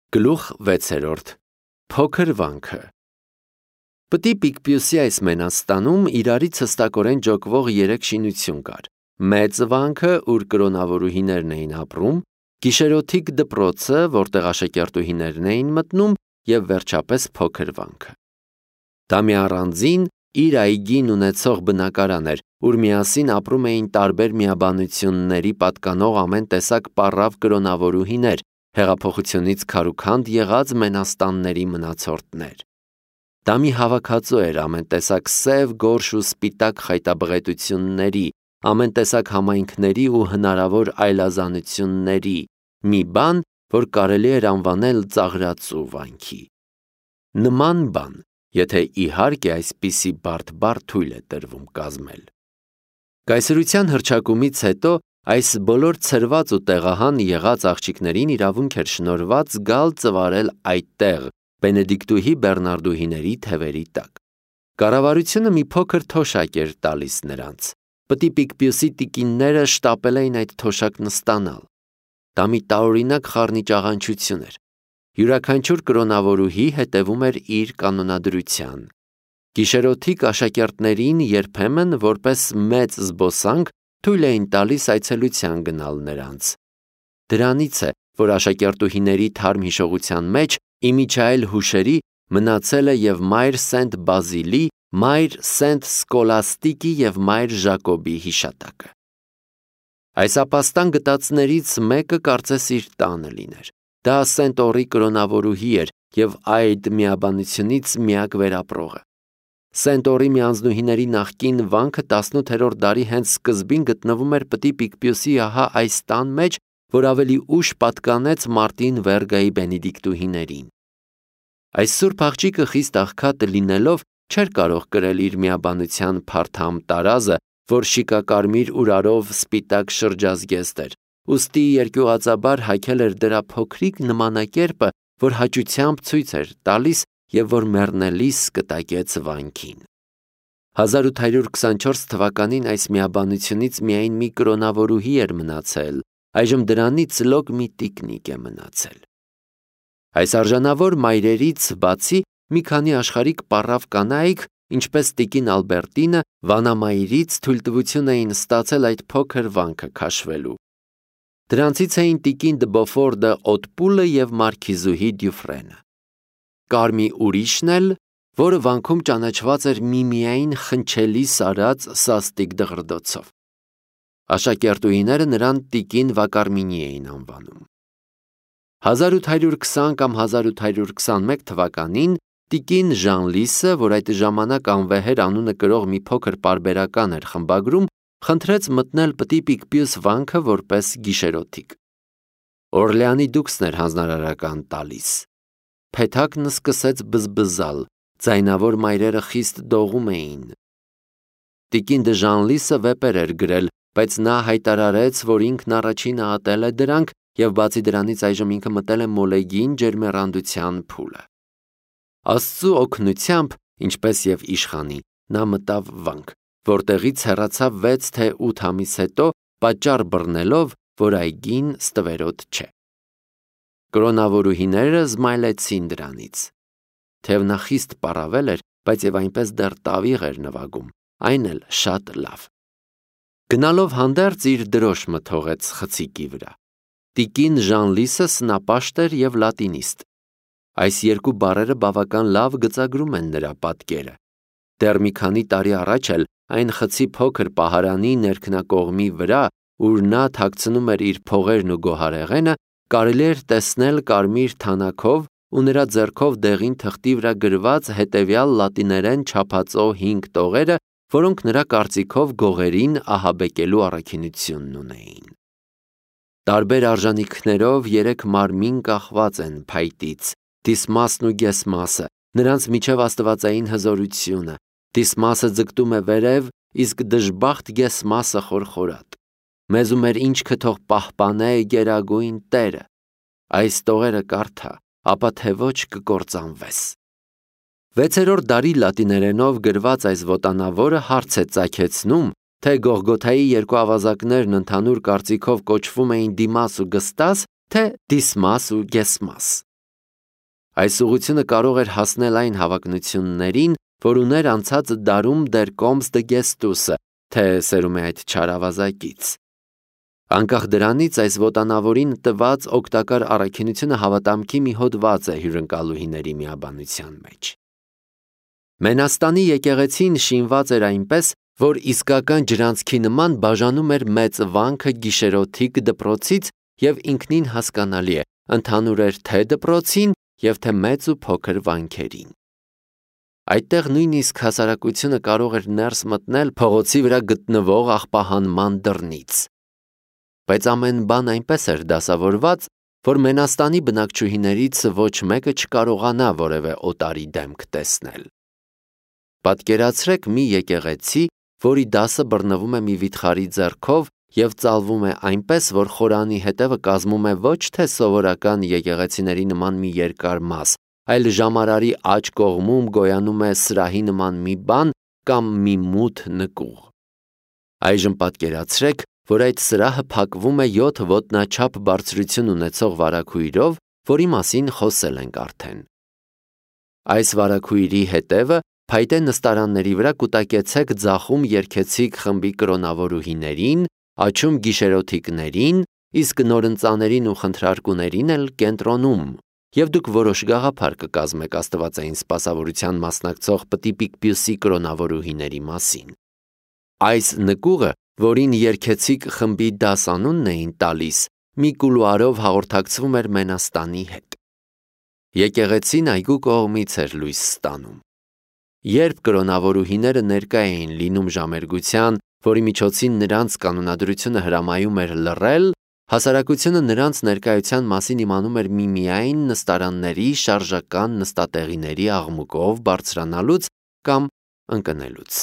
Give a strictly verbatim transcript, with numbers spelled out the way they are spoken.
Գլուխ վեցերորդ Փոքր վանքը Պտի Պիկպյուսի այս Մենաստանում իրարից հստակորեն ջոկվող երեք շինություն կար. մեծ վանքը, ուր կրոնավորուհիներն էին ապրում, գիշերօթիկ դպրոցը, որտեղ աշակերտուհիներն էին մտնում, և վերջապես փոքր վանքը։ Դա մի առանձին, իր այգին ունեցող բնակարան էր, ուր միասին ապրում էին տարբեր միաբանությունների պատկանող ամեն տեսակ պառավ կրոնավորուհիներ, հեղափոխությունից քարուքանդ եղած մենաստանների մնացորդներ։ Դա մի հավաքածու էր ամեն տեսակ սև, գորշ ու սպիտակ խայտաբղետությունների, ամեն տեսակ համայնքների ու հնարավոր այլազանությունների, մի բան, որ կարելի էր անվանել ծաղրածու վանքի։ Նման բան, եթե իհարկե այսպիսի բարդ բառ թույլ է տրվում կազմել։ Կայսրության հռչակումից հետո այս բոլոր ցրված ու տեղահան եղած աղջիկներին իրավունք էր շնորհված գալ ծվարել այդտեղ, Բենեդիկտուհի բեռնարդուհիների թևերի տակ։ Կառավարությունը մի փոքր թոշակ էր տալիս նրանց։ Պտի Պիկպյուսի տիկինները շտապել էին այդ թոշակ նստանալ։ Դա մի տարօրինակ խառնիճաղանչություն էր։ Յուրաքանչյուր կրոնավորուհի հետևում էր իր կանոնադրության։ Գիշերօթիկ աշակերտներին երբեմն որպես մեծ զբոսանք թույլ էին տալիս այցելության գնալ նրանց։ Դրանից է, որ աշակերտուհիների թարմ հիշողության մեջ իմիջայել հուշերի մնացել է և մայր Սենտ Բազիլի, մայր Սենտ Սկոլաստիկի և մայր Ժակոբի հիշատակը։ Այս ապաստան գտածներից մեկը կարծես իր տանը լիներ։ Դա Սենտ Օռի կրոնավորուհի էր և այդ միաբանությունից միակ վերապրողը։ Սենտ Օռի միանձնուհիների նախկին վանքը տասնութերորդ դարի հենց սկզբին գտնվում էր Պտի Պիկպյուսի ահա այս տան մեջ, որ ավելի ուշ պատկանեց Մարտին Վերգայի բենեդիկտուհիներին։ Այս սուրբ աղջիկը խիստ աղքատ լինելով չէր կարող կրել իր միաբանության փարթամ տարազը, որ շիկակարմիր ուրարով սպիտակ շրջազգեստ էր, ուստի երկյուղածաբար հագել էր դրա փոքրիկ նմանակերպը, որ հաճությամբ ցույց էր տալիս և որ մեռնելիս կտակեց վանքին։ հազար ութ հարյուր քսանչորս թվականին այս միաբանությունից միայն մի կրոնավորուհի էր մնացել, այժմ դրանից լոկ մի տիկնիկ է մնացել։ Այս արժանավոր մայրերից բացի մի քանի աշխարհիկ պառավ կանայք, ինչպես տիկին Ալբերտինը, վանամայրից թույլտվություն էին ստացել այդ փոքր վանքը քաշվելու։ Դրանցից էին տիկին դը Բոֆորդը Օտպուլը և մարքիզուհի Դյուֆրենը։ Կար մի ուրիշն էլ, որը վանքում ճանաչված էր միմիայն խնչելի սարած սաստիկ դղրդոցով։ Աշակերտուհիները նրան տիկին Վակարմինի էին անվանում։ հազար ութ հարյուր քսան կամ հազար ութ հարյուր քսանմեկ թվականին տիկին Ժանլիսը, որ այդ ժամանակ անվեհեր անունը կրող մի փոքր պարբերական էր խմբագրում, խնդրեց մտնել Պտի Պիկպյուս վանքը որպես գիշերօթիկ։ Օրլեանի դուքսն էր հանձնարարական տալիս։ Փեթակն սկսեց բզբզալ, ձայնավոր մայրերը խիստ դողում էին։ Տիկին դը Ժանլիսը վեպեր էր գրել, բայց նա հայտարարեց, որ ինքն առաջինը ատել է դրանք և բացի դրանից այժմ ինքը մտել է մոլեգին ջերմեռանդության փուլը։ Աստծու օգնությամբ, ինչպես և իշխանի, նա մտավ վանք, որտեղից հեռացավ վեց թե ութ ամիս հետո, պատճառ բռնելով, որ այգին ստվերոտ չէ։ Կրոնավորուհիները զմայլեցին դրանից։ Թեև նա խիստ պառավել էր, բայց և այնպես դեռ տավիղ էր նվագում, այն էլ շատ լավ։ Գնալով հանդերձ իր դրոշմը թողեց խցիկի վրա։ Տիկին Ժանլիսը սնապաշտ էր և լատինիստ։ Այս երկու բառերը բավական լավ գծագրում են նրա պատկերը։ Դեռ մի քանի տարի առաջ էլ այն խցի փոքր պահարանի ներքնակողմի վրա, ուր նա թաքցնում էր իր փողերն ու գոհարեղենը, կարելի էր տեսնել կարմիր թանաքով ու նրա ձեռքով դեղին թղթի վրա գրված հետևյալ լատիներեն չափածո հինգ տողերը, որոնք նրա կարծիքով գողերին ահաբեկելու առաքինությունն ունեին։ Տարբեր արժանիքներով երեք մարմին կախված են փայտից՝ Դիսմասն ու Գեսմասը, նրանց միջև աստվածային հզորությունը։ Դիսմասը ձգտում է վերև, իսկ դժբախտ Գեսմասը խորխորատ։ Մեզ ու մեր ինչքը թող պահպանե գերագույն Տերը։ Այս տողերը կարդա, ապա թե ոչ կկործանվես։ Վեցերորդ դարի լատիներենով գրված այս ոտանավորը հարց է ծագեցնում, թե Գողգոթայի երկու ավազակներն ընդհանուր կարծիքով կոչվում էին Դիմաս ու Գստաս, թե Դիսմաս ու Գեսմաս։ Այս ուղղությունը կարող էր հասնել այն հավակնություններին, որ ուներ անցած դարում դեր Կոմս դե Գեստուսը, թե սերում է այդ չար ավազակից։ Անկախ դրանից այս ոտանավորին տված օգտակար առաքինությունը հավատամքի մի հոդված է հյուրընկալուհիների միաբանության մեջ։ Մենաստանի եկեղեցին շինված էր այնպես, որ իսկական ջրանցքի նման բաժանում էր մեծ վանքը գիշերօթիկ դպրոցից և ինքնին հասկանալի է, ընդհանուր էր թե դպրոցին և թե մեծ ու փոքր վանքերին։ Այդտեղ նույնիսկ հասարակությունը կարող էր ներս մտնել փողոցի վրա գտնվող աղբահանման դռնից։ Բայց ամեն բան այնպես էր դասավորված, որ Մենաստանի բնակչուհիներից ոչ մեկը չկարողանա որևէ օտարի դեմք տեսնել։ Պատկերացրեք մի եկեղեցի, որի դասը բռնվում է մի վիթխարի ձեռքով և ծալվում է այնպես, որ խորանի հետևը կազմում է ոչ թե սովորական եկեղեցիների նման մի երկար մաս, այլ ժամարարի աջ կողմում գոյանում է սրահի նման մի բան կամ մի մութ նկուղ։ Այժմ պատկերացրեք, որ այդ սրահը փակվում է յոթ ոտնաչափ բարձրություն ունեցող վարագույրով, որի մասին խոսել ենք արդեն։ Այս վարագույրի հետևը փայտե նստարանների վրա կուտակեցեք ձախում երգեցիկ խմբի կրոնավորուհիներին, աջում գիշերօթիկներին, իսկ նորընծաներին ու խնդրարկուներին էլ կենտրոնում, և դուք որոշ գաղափար կկազմեք աստվածային սպասավորության մասնակցող Պտի Պիկպյուսի կրոնավորուհիների մասին։ Այս նկուղը, որին երգեցիկ խմբի դաս անունն էին տալիս, մի կուլուարով հաղորդակցվում էր Մենաստանի հետ։ Եկեղեցին այգու կողմից էր լույս ստանում։ Երբ կրոնավորուհիները ներկա էին լինում ժամերգության, որի միջոցին նրանց կանոնադրությունը հրամայում էր լռել, հասարակությունը նրանց ներկայության մասին իմանում էր միմիայն նստարանների շարժական նստատեղիների աղմուկով բարձրանալուց կամ ընկնելուց։